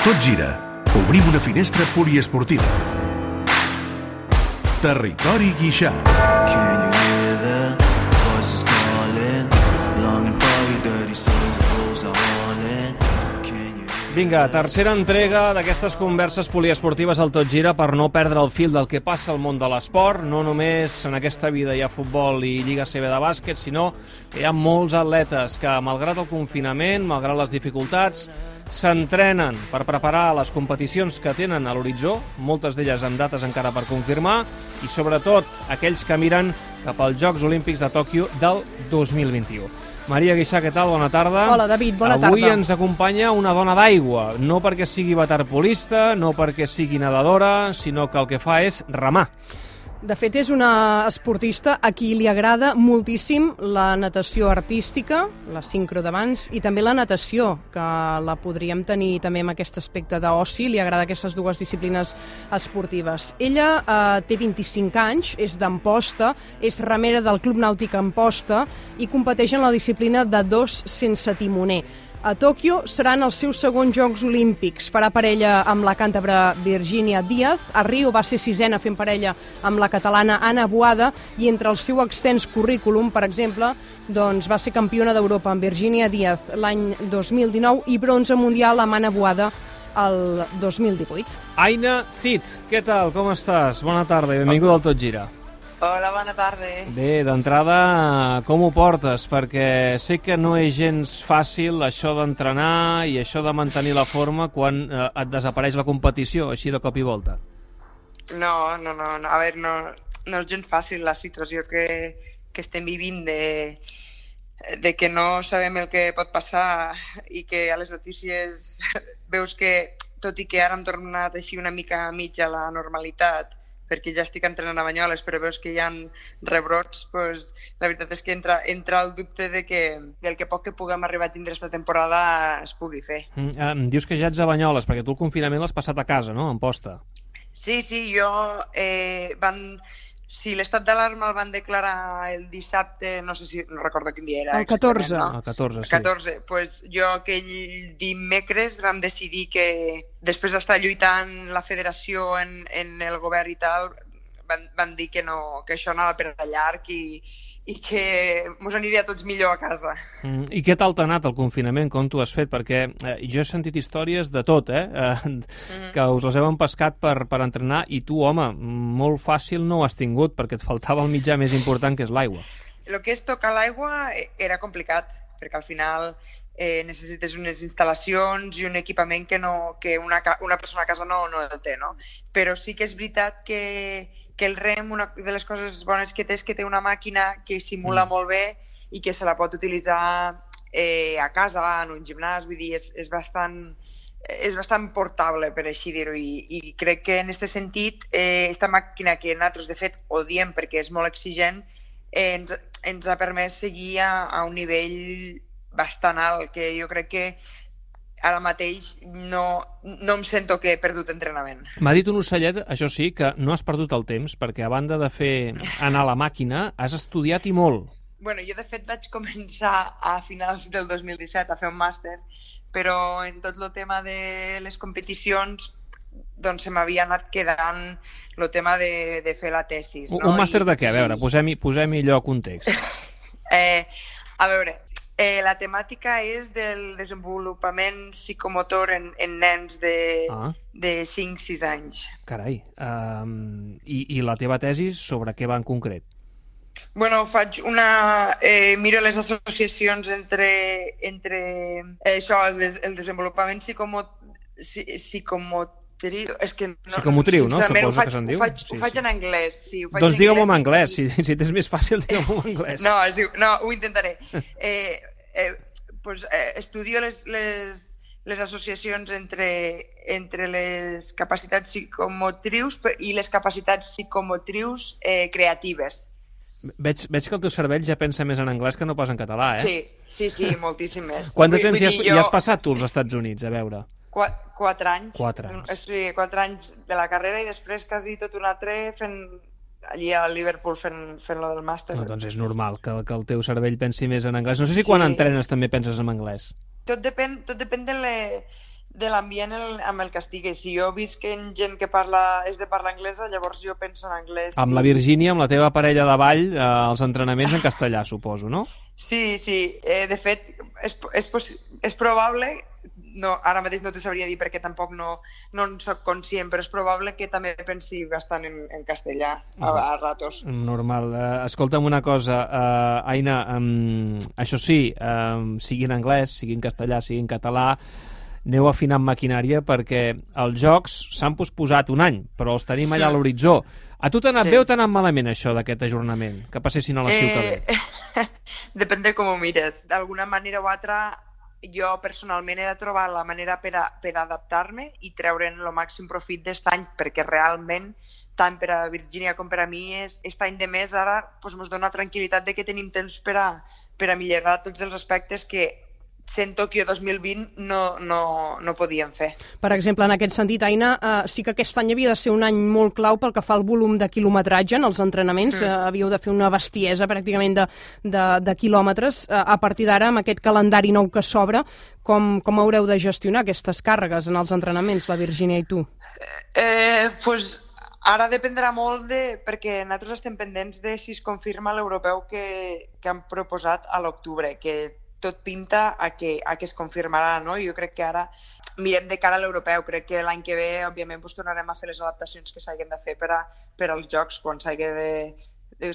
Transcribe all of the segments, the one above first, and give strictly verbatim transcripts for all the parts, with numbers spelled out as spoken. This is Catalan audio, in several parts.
Tot gira. Obrim una finestra poliesportiva. Territori Guixà. Vinga, tercera entrega d'aquestes converses poliesportives al Tot Gira per no perdre el fil del que passa al món de l'esport. No només en aquesta vida hi ha futbol i Lliga C B de bàsquet, sinó que hi ha molts atletes que, malgrat el confinament, malgrat les dificultats, s'entrenen per preparar les competicions que tenen a l'horitzó, moltes d'elles amb dates encara per confirmar, i sobretot aquells que miren cap als Jocs Olímpics de Tòquio del dos mil vint-i-u. Maria Guixà, què tal? Bona tarda. Hola, David, bona tarda. Avui ens acompanya una dona d'aigua, no perquè sigui waterpolista, no perquè sigui nedadora, sinó que el que fa és remar. De fet, és una esportista a qui li agrada moltíssim la natació artística, la sincro d'abans, i també la natació, que la podríem tenir també amb aquest aspecte d'oci, li agrada aquestes dues disciplines esportives. Ella eh, té vint-i-cinc anys, és d'Amposta, és remera del Club Nàutic Amposta i competeix en la disciplina de dos sense timoner. A Tòquio seran els seus segons Jocs Olímpics. Farà parella amb la càntabra Virginia Díaz. A Rio va ser sisena fent parella amb la catalana Anna Boada i entre el seu extens currículum, per exemple, doncs va ser campiona d'Europa amb Virginia Díaz l'any dos mil dinou i bronze mundial amb Anna Boada el dos mil divuit. Aina Cid, què tal? Com estàs? Bona tarda i benvinguda al Tot Gira. Hola, bona tarda. Bé, d'entrada, com ho portes? Perquè sé que no és gens fàcil això d'entrenar i això de mantenir la forma quan eh, et desapareix la competició, així de cop i volta. No, no, no, no. A veure, no, no és gens fàcil la situació que, que estem vivint de, de que no sabem el que pot passar i que a les notícies veus que, tot i que ara hem tornat així una mica mitja a la normalitat, perquè ja estic entrenant a Banyoles, però veus que hi ha rebrots, doncs, la veritat és que entra, entra el dubte de que el que poc que puguem arribar a tindre aquesta temporada es pugui fer. Mm, eh, dius que ja ets a Banyoles, perquè tu el confinament l'has passat a casa, no?, a Amposta. Sí, sí, jo... Eh, van... Sí, l'estat d'alarma el van declarar el dissabte, no sé si, no recordo quin dia era. El catorze. No? El catorze, sí. El catorze. Pues jo aquell dimecres vam decidir que, després d'estar lluitant la federació en, en el govern i tal, van, van dir que, no, que això anava per allà llarg i, i que mos aniria tots millor a casa. Mm, I què tal t'ha anat el confinament? Com t'ho has fet? Perquè eh, jo he sentit històries de tot, eh? eh mm-hmm. que us les heu empescat per, per entrenar i tu, home, molt fàcil no ho has tingut perquè et faltava el mitjà més important, que és l'aigua. El que és tocar l'aigua era complicat, perquè al final eh, necessites unes instal·lacions i un equipament que, no, que una, una persona a casa no, no el té, no? Però sí que és veritat que que el rem, una de les coses bones que té és que té una màquina que simula mm. molt bé i que se la pot utilitzar eh, a casa, en un gimnàs, vull dir, és, és, bastant, és bastant portable, per així dir-ho, i, i crec que en aquest sentit, eh, esta màquina que nosaltres de fet odiem perquè és molt exigent, eh, ens, ens ha permès seguir a, a un nivell bastant alt, que jo crec que ara mateix no, no em sento que he perdut entrenament. M'ha dit un ocellet, això sí, que no has perdut el temps, perquè a banda de fer anar a la màquina, has estudiat i molt. Bueno, jo de fet vaig començar a finals del dos mil disset a fer un màster, però en tot el tema de les competicions doncs se m'havia anat quedant el tema de, de fer la tesis. Un, no? un màster I, de què? A veure, posem-hi posem allò a context. eh, a veure... Eh, la temàtica és del desenvolupament psicomotor en, en nens de, ah. de cinc sis anys. Carai. Um, i, I la teva tesi sobre què va en concret? Bueno, faig una... Eh, miro les associacions entre, entre eh, això, el, des, el desenvolupament psicomot, psicomotor és que no, psicomotriu, no? Suposo faig, que se'n diu. Ho faig, sí, ho faig sí. en anglès. Sí, ho faig doncs digue-m'ho en anglès, i... si, si t'és més fàcil, digue-m'ho en anglès. No, sí, no, ho intentaré. Eh, eh, pues, eh, estudio les, les, les associacions entre, entre les capacitats psicomotrius i les capacitats psicomotrius eh, creatives. Veig, veig que el teu cervell ja pensa més en anglès que no pas en català, eh? Sí, sí, sí, moltíssim més. Quant de temps hi has, jo... hi has passat tu als Estats Units, a veure? Quatre, quatre anys. Quatre anys. Sí, quatre anys de la carrera i després quasi tot un altre fent allí a Liverpool fent, fent lo del màster. No, doncs és normal que, que el teu cervell pensi més en anglès. No sé si sí. Quan entrenes també penses en anglès. Tot depèn, tot depèn de, le, de l'ambient amb el que estigui. Si jo visc en gent que parla, és de parla anglesa, llavors jo penso en anglès. Amb la Virgínia, amb la teva parella de ball, eh, els entrenaments en castellà, suposo, no? Sí, sí. Eh, de fet, és, és, és probable, no, ara mateix no t'ho sabria dir perquè tampoc no, no en soc conscient, però és probable que també pensi bastant en, en castellà a, a ratos. Normal. Uh, escolta'm una cosa, uh, Aina, um, això sí, um, sigui en anglès, sigui en castellà, sigui en català, aneu afinant maquinària perquè els jocs s'han posposat un any, però els tenim allà a l'horitzó. A tu t'ha anat sí. bé o t'ha anat malament això d'aquest ajornament? Que passessin a l'estiu eh... que ve? Depèn de com ho mires. D'alguna manera o altra, jo personalment he de trobar la manera per, a, per adaptar-me i treure'n el màxim profit d'aquest any, perquè realment, tant per a Virgínia com per a mi, aquest any de més ara ens doncs, dona tranquil·litat de que tenim temps per a, per a millorar tots els aspectes que sent Tòquio dos mil vint no, no, no podíem fer. Per exemple, en aquest sentit, Aina, eh, sí que aquest any havia de ser un any molt clau pel que fa al volum de quilometratge en els entrenaments. Sí. Eh, havíeu de fer una bestiesa pràcticament de, de, de quilòmetres. Eh, a partir d'ara, amb aquest calendari nou que s'obre, com, com haureu de gestionar aquestes càrregues en els entrenaments, la Virgínia i tu? Eh, pues, ara dependrà molt de... perquè nosaltres estem pendents de si es confirma l'europeu que, que han proposat a l'octubre, que tot pinta a que, a que es confirmarà, no? Jo crec que ara mirem de cara a l'europeu. Crec que l'any que ve, òbviament, pues, tornarem a fer les adaptacions que s'hagin de fer per, a, per als jocs, quan s'hagi de, de,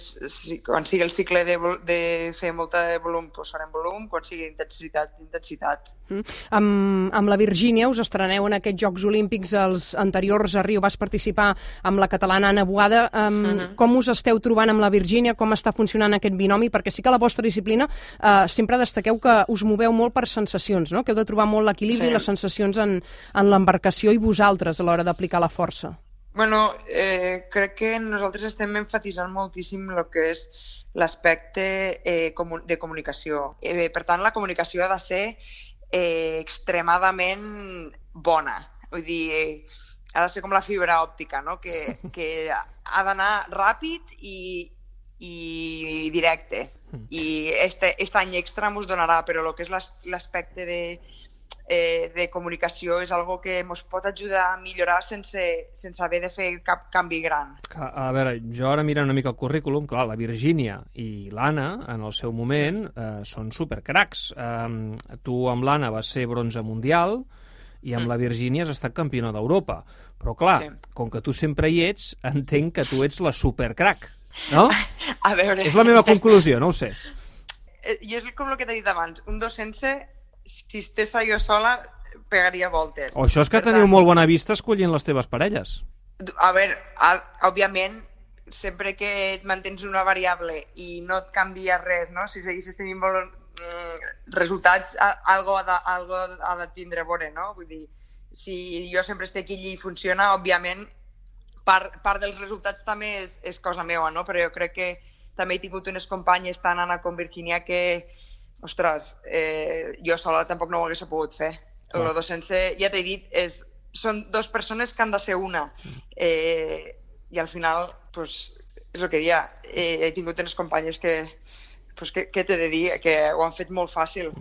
quan sigui el cicle de, de fer molta de volum, pues, farem volum, quan sigui intensitat, intensitat. Mm. Amb, amb la Virgínia us estreneu en aquests Jocs Olímpics, els anteriors a Rio vas participar amb la catalana Anna Boada. Um, uh-huh. Com us esteu trobant amb la Virgínia? Com està funcionant aquest binomi? Perquè sí que la vostra disciplina uh, sempre destaqueu que us moveu molt per sensacions, no? Que heu de trobar molt l'equilibri i sí. les sensacions en, en l'embarcació i vosaltres a l'hora d'aplicar la força. Bueno, eh, crec que nosaltres estem enfatitzant moltíssim el que és l'aspecte eh, de comunicació. Eh, per tant, la comunicació ha de ser eh, extremadament bona. Vull dir, eh, ha de ser com la fibra òptica, no? Que, que ha d'anar ràpid i, i directe. I este, este any extra ens donarà, però el que és l'aspecte de... Eh, de comunicació és algo que ens pot ajudar a millorar sense, sense haver de fer cap canvi gran. A veure, jo ara mirant una mica el currículum, clar, la Virgínia i l'Anna, en el seu moment, eh, són supercracs. Eh, tu amb l'Anna vas ser bronze mundial i amb mm. la Virgínia has estat campiona d'Europa. Però clar, sí. com que tu sempre hi ets, entenc que tu ets la supercrac, no? A veure... És la meva conclusió, no ho sé. Jo és com el que t'he dit abans, un dos sense... si estés jo sola, pegaria voltes. O això és que per teniu tant... molt bona vista escollint les teves parelles. A veure, a, òbviament, sempre que et mantens una variable i no et canvia res, no? Si seguissis tenint vol... resultats, algo ha de, algo ha de tindre bona, no? Vull dir, si jo sempre estic aquí i funciona, òbviament, part, part dels resultats també és, és cosa meva, no? Però jo crec que també he tingut unes companyes, tant Anna com Virgínia, que ostres, eh, jo sola tampoc no ho hagués pogut fer. El dos sense, ja t'he dit, és, són dues persones que han de ser una. Eh, I al final, pues, és el que dia, eh, he tingut unes companyes que, pues, que, que t'he de dir, que ho han fet molt fàcil.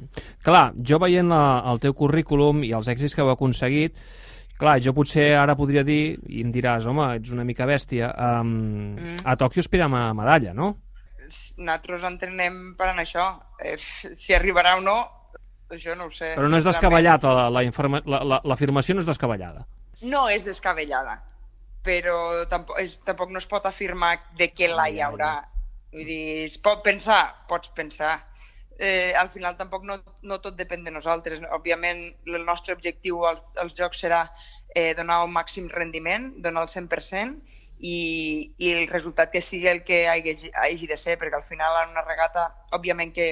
Clar, jo veient la, el teu currículum i els èxits que heu aconseguit, clar, jo potser ara podria dir, i em diràs, home, ets una mica bèstia, um, mm. a Tòquio aspirem a medalla, no? Nosaltres entrenem per anar això. Eh, si arribarà o no, això no ho sé. Però no és descabellat, la, la, la, la, l'afirmació no és descabellada. No és descabellada, però tampoc, és, tampoc no es pot afirmar de què la hi haurà. Vull dir, es pot pensar? Pots pensar. Eh, al final tampoc no, no tot depèn de nosaltres. Òbviament, el nostre objectiu als, als jocs serà eh, donar un màxim rendiment, donar el cent per cent, I, i el resultat que sigui el que hagi, hagi de ser, perquè al final en una regata, òbviament que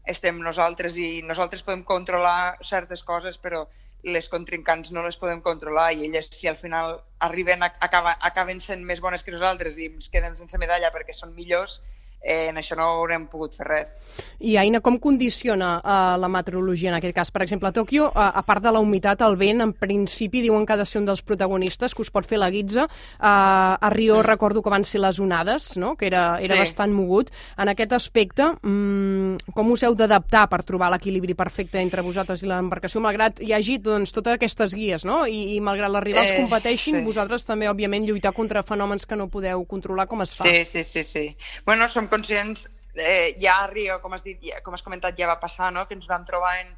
estem nosaltres i nosaltres podem controlar certes coses, però les contrincants no les podem controlar i elles, si al final arriben a, acaba, acaben sent més bones que nosaltres i ens quedem sense medalla perquè són millors, eh, en això no haurem pogut fer res. I Aina, com condiciona uh, la meteorologia en aquest cas? Per exemple, a Tòquio, uh, a part de la humitat, el vent, en principi, diuen que ha de ser un dels protagonistes, que us pot fer la guitza. Uh, a Rio mm. recordo que van ser les onades, no? Que era, era sí. bastant mogut. En aquest aspecte, um, com us heu d'adaptar per trobar l'equilibri perfecte entre vosaltres i l'embarcació, malgrat hi hagi doncs, totes aquestes guies, no? I, i malgrat les rivals eh, competeixin, sí. vosaltres també, òbviament, lluitar contra fenòmens que no podeu controlar, com es fa? Sí, sí, sí. sí. Bueno, som conscients, eh, ja a Rio, com has dit, ja, com has comentat, ja va passar, no? Que ens vam trobar en,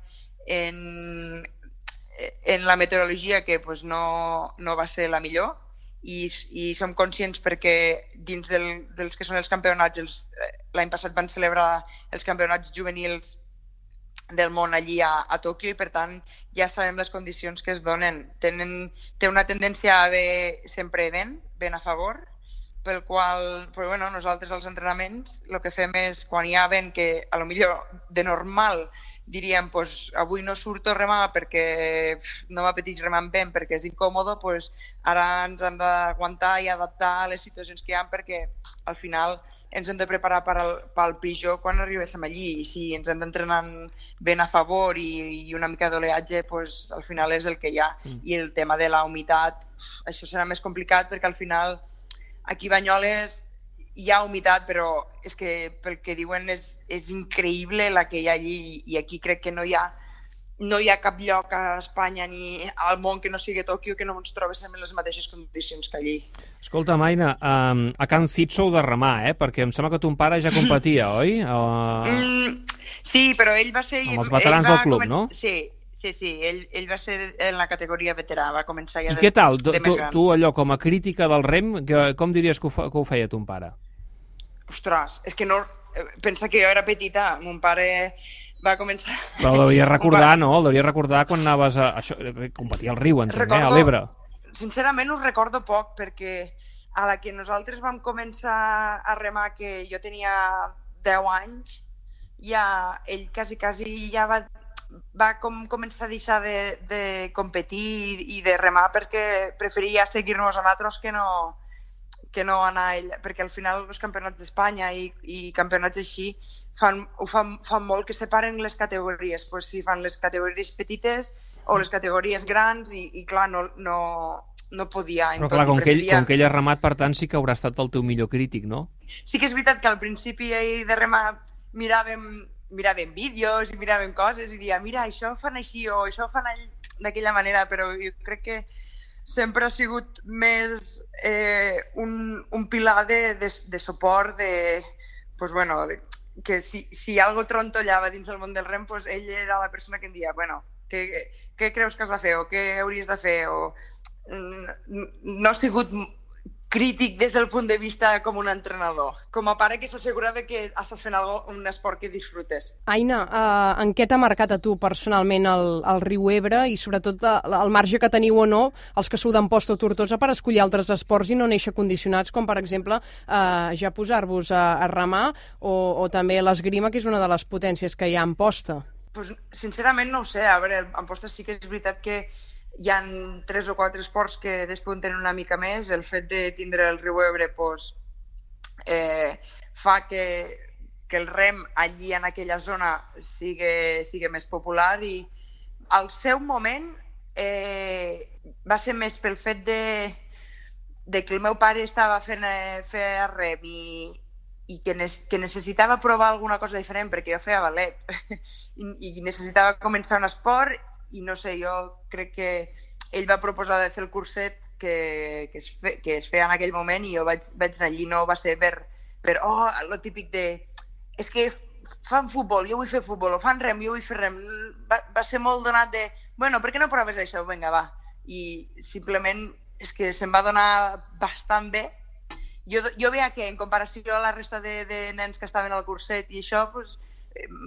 en, en la meteorologia que pues, no, no va ser la millor i, i som conscients perquè dins del, dels que són els campionats, els, l'any passat van celebrar els campionats juvenils del món allí a, a Tòquio i per tant ja sabem les condicions que es donen. Tenen, té una tendència a haver sempre vent, vent a favor, pel qual, però bueno, nosaltres als entrenaments el que fem és, quan hi ha vent que a lo millor de normal diríem pues, avui no surto a remar perquè pf, no m'apeteix remar amb vent perquè és incòmode, pues, ara ens hem d'aguantar i adaptar a les situacions que hi ha perquè al final ens hem de preparar per al, pel pitjor quan arribéssim allí i si ens hem d'entrenar vent a favor i, i una mica d'oleatge, pues, al final és el que hi ha. Mm. I el tema de la humitat, això serà més complicat perquè al final aquí a Banyoles hi ha humitat, però és que pel que diuen és, és increïble la que hi ha allí i aquí crec que no hi ha, no hi ha cap lloc a Espanya ni al món que no sigui Tòquio que no ens trobéssim en les mateixes condicions que allí. Escolta, Aina, um, a Can Cid sou de remar, eh? Perquè em sembla que ton pare ja competia, oi? Uh... Mm, sí, però ell va ser... Amb els veterans del club, començar... no? Sí. Sí, sí, ell, ell va ser en la categoria veterà, va començar ja I de, què tal? de Tu, més gran. tu, allò, com a crítica del rem, que, com diries que ho, fa, que ho feia ton pare? Ostres, és que no... Pensa que jo era petita, mon pare va començar... Però el devia recordar, no? El devia recordar quan anaves a... Això, competia al riu, entenc, recordo, eh? A l'Ebre. Sincerament ho recordo poc, perquè a la que nosaltres vam començar a remar, que jo tenia deu anys, ja ell quasi, quasi ja va... va com començar a deixar de, de competir i de remar perquè preferia seguir-nos a nosaltres que no, que no anar a ell, perquè al final els campionats d'Espanya i, i campionats així fan, ho fan, fan molt que separen les categories, pues si fan les categories petites o les categories grans i, i clar, no, no, no podia. Però clar, com, preferia... que ell, com que ell ha remat, per tant, sí que haurà estat el teu millor crític, no? Sí que és veritat que al principi de remar miràvem miràvem vídeos i miràvem coses i dia, mira, això ho fan així o això ho fan d'aquella manera, però jo crec que sempre ha sigut més eh, un, un pilar de, de, de suport, de, pues bueno, de, que si, si algo trontollava dins del món del rem, pues ell era la persona que em dia, bueno, què, què creus que has de fer o què hauries de fer? O, no ha sigut crític des del punt de vista com un entrenador, com a pare que s'assegura que estàs fent algo, un esport que disfrutes. Aina, uh, en què t'ha marcat a tu personalment el, el riu Ebre i sobretot el marge que teniu o no els que sou d'Amposta o Tortosa per escollir altres esports i no néixer condicionats com per exemple uh, ja posar-vos a, a remar o, o també l'esgrima, que és una de les potències que hi ha a Amposta? Pues, sincerament no ho sé, a veure, a Amposta sí que és veritat que hi ha tres o quatre esports que despunten una mica més. El fet de tindre el riu Ebre pues, eh, fa que, que el rem allí en aquella zona sigui, sigui més popular i al seu moment eh, va ser més pel fet de, de que el meu pare estava fent eh, fer rem i, i que, ne que necessitava provar alguna cosa diferent perquè jo feia ballet I, i necessitava començar un esport i no sé, jo crec que ell va proposar de fer el curset que, que, es, fe, que es feia en aquell moment i jo vaig, vaig anar allí, no va ser per, per oh, lo típic de és que fan futbol, jo vull fer futbol, o fan rem, jo vull fer rem. Va, va ser molt donat de, bueno, per què no proves això? Vinga, va. I simplement és que se'm va donar bastant bé. Jo, jo veia que en comparació a la resta de, de nens que estaven al curset i això, pues,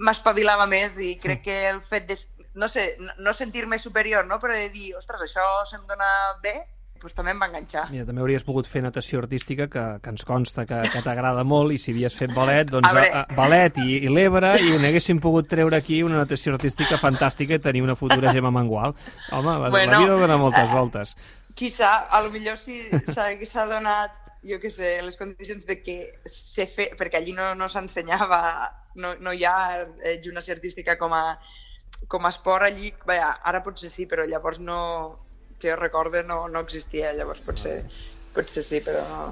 m'espavilava més i crec que el fet de, no sé, no sentir-me superior, no? Però de dir, ostres, això se'm dona bé, doncs també em va enganxar. Mira, també hauries pogut fer natació artística, que, que ens consta que, que t'agrada molt, i si havies fet ballet, doncs a a, a, ballet i, i l'Ebre, i n'haguéssim pogut treure aquí una natació artística fantàstica i tenir una futura Gemma Mengual. Home, la, bueno, la vida dona moltes voltes. Qui sap, a lo millor si s'ha donat jo què sé, les condicions de que se fe... perquè allí no, no s'ensenyava, no, no hi ha eh, gimnàstica artística com a, com a esport allí, vaja, ara potser sí, però llavors no, que jo recorde, no, no existia, llavors potser, potser sí, però no.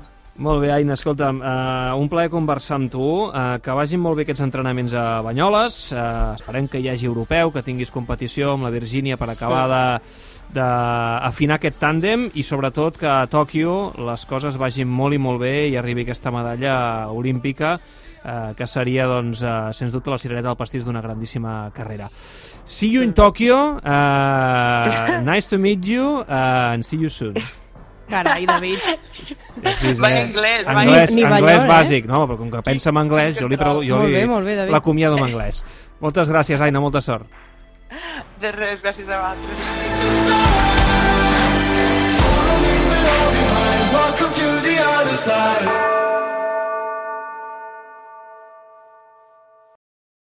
Molt bé, Aina, escolta'm, uh, un plaer conversar amb tu, uh, que vagin molt bé aquests entrenaments a Banyoles, uh, esperem que hi hagi europeu, que tinguis competició amb la Virgínia per acabar de d'afinar aquest tàndem i sobretot que a Tòquio les coses vagin molt i molt bé i arribi aquesta medalla olímpica eh, que seria, doncs, eh, sens dubte la cirereta del pastís d'una grandíssima carrera. See you in Tokyo, uh, nice to meet you, uh, and see you soon. Carai, David. Va en anglès, va anglès, ni anglès balló, bàsic, no? Però com que pensa en anglès, jo li, jo Molt li bé, molt bé, David. l'acomiado en anglès. Moltes gràcies, Aina, molta sort. De res, gràcies a vosaltres. Welcome to the other side.